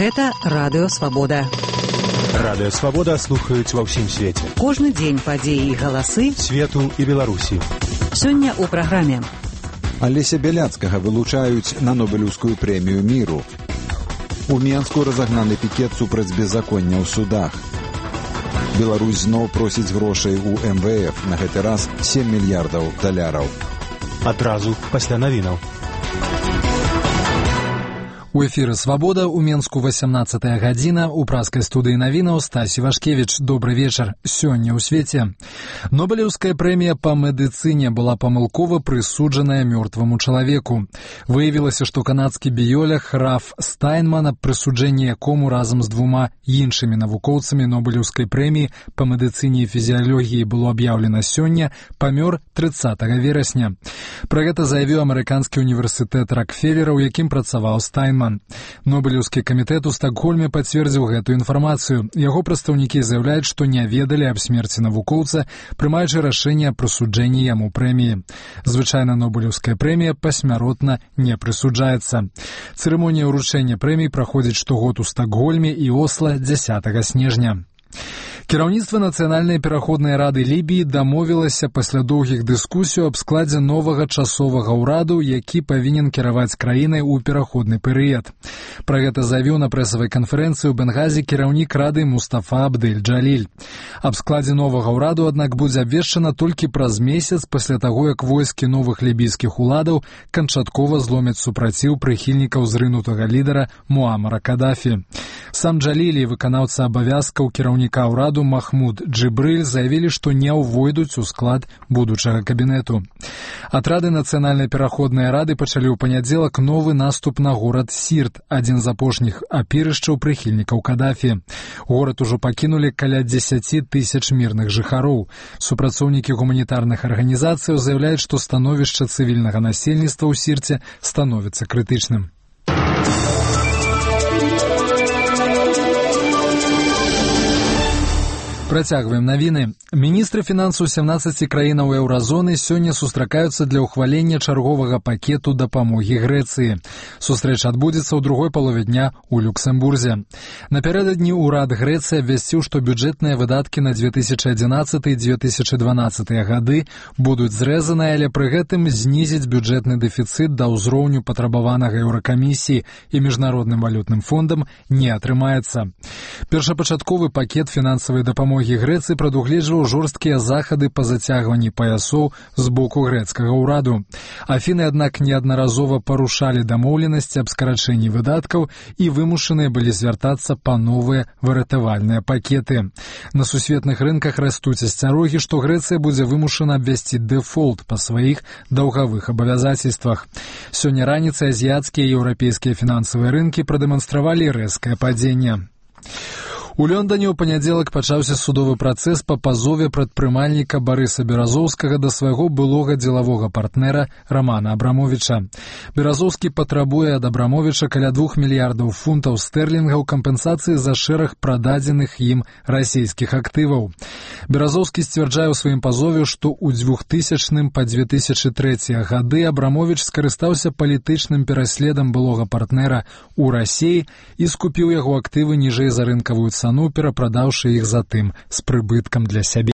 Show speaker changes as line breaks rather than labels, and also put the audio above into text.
Гэта Радыё Свабода.
Радыё Свабода слухаюць ва ўсім свеце.
Кожны дзень падзеі і галасы
свету і Беларусі.
Сёння ў праграме.
Алеся Бяляцкага вылучаюць на Нобелеўскую прэмію міру. У Менску разагнаны пікет супраць беззаконня ў судах. Беларусь зноў просіць грошай у МВФ, на гэты раз 7 мільярдаў даляраў.
Адразу пасля навінаў.
У эфіры «Свабода», у Менску 18 гадзіна, у праскай студыі навінаў Стась Івашкевіч. Добры вечар. Сёння ў свеце. Нобелеўская прэмія па медыцыне была памылкова прысуджаная мёртваму чалавеку. Выявілася, што канадскі біёлог Раф Стайнман, прысуджэнне якому разам з двума іншымі навукоўцамі Нобелеўскай прэміі па медыцыне і фізіялогіі было аб'яўлена сёння, памёр 30 верасня. Пра гэта заявіў амерыканскі універсітэт Рокфеллера, у якім працаваў Стайнман. Нобелеўскі камітэт у Стакгольме пацвердзіў гэтую інфармацыю. Яго прадстаўнікі заяўляюць, што не ведалі аб смерці навукоўца, прымаючы рашэнне аб прысуджэнні яму прэміі. Звычайна Нобелеўская прэмія пасмяротна не прысуджаецца. Цырымонія ўручэння прэмій праходзіць штогод у Стакгольме і Осла 10 снежня. Кіраўніцтва Нацыянальнай пераходнай рады Лібіі дамовілася пасля доўгіх дыскусій аб складзе новага часовага ўраду, які павінен кіраваць краінай у пераходны перыяд. Пра гэта заявіў на прэсавай канферэнцыі ў Бенгазі кіраўнік рады Мустафа Абдэль-Джаліль. Аб складзе новага ўраду, аднак, будзе абвешчана толькі праз месяц пасля таго, як войскі новых лібійскіх уладаў канчаткова зломяць супраціў прыхільнікаў зрынутага лідара Муамара Кадафі. Сам Джаліль і выканаўца абавязкаў кіраўніка ўраду Махмуд Джибриль заявілі, што не ўвойдуць у склад будучага кабінету. Атрады Нацыянальнай пераходнай рады пачалі ў панядзелак новы наступ на горад Сірт, адзін з апошніх апірышчаў прыхільнікаў Кадафі. Горад ужо пакінулі каля 10 тысяч мірных жыхароў. Супрацоўнікі гуманітарных арганізацыяў заяўляюць, што становішча цывільнага насельніцтва ў Сірце становіцца крытычным. Працягваем навіны. Міністры фінансаў 17 краінаў еўразоны сёння сустракаюцца для ўхвалення чарговага пакету дапамогі Грэцыі. Сустрэча адбудзецца ў другой палове дня ў Люксембурзе. Напярэдадні ўрад Грэцыі абвясціў, што бюджэтныя выдаткі на 2011 і 2012 гады будуць зрэзаныя, але пры гэтым знізіць бюджэтны дэфіцыт да ўзроўню патрабаванага Еўракамісіі і Міжнародным валютным фондам не атрымаецца. Першапачатковы пакет фінансавай дапамогі Грэцыі прадугледжваў жорсткія захады па зацягванні паясоў з боку грэцкага ўраду. Афіны, аднак, неаднаразова парушалі дамоўленасці аб скарачэнні выдаткаў і вымушаныя былі звяртацца па новыя выратавальныя пакеты. На сусветных рынках растуць асцярогі, што Грэцыя будзе вымушана абвясці дэфолт па сваіх даўгавых абавязацельствах. Сёння раніцай азіяцкія і еўрапейскія фінансавыя рынкі прадэманстравалі рэзкае падзенне. У Лондоне ў панядзелак пачаўся судовы працэс па пазове прадпрымальніка Барыса Беразоўскага да свайго былога дзелавога партнера Рамана Абрамовіча. Беразоўскі патрабуе ад Абрамовіча каля 2 мільярдаў фунтаў стэрлінгаў кампенсацыі за шэраг прададзеных ім расійскіх актываў. Беразоўскі сцвярджае ў сваім пазове, што ў 2000 па 2003 гады Абрамовіч скарыстаўся палітычным пераследам былога партнера ў Расіі і скупіў яго актывы ніжэй за рынкавую цану, перапрадаўшы іх затым з прыбыткам для сябе.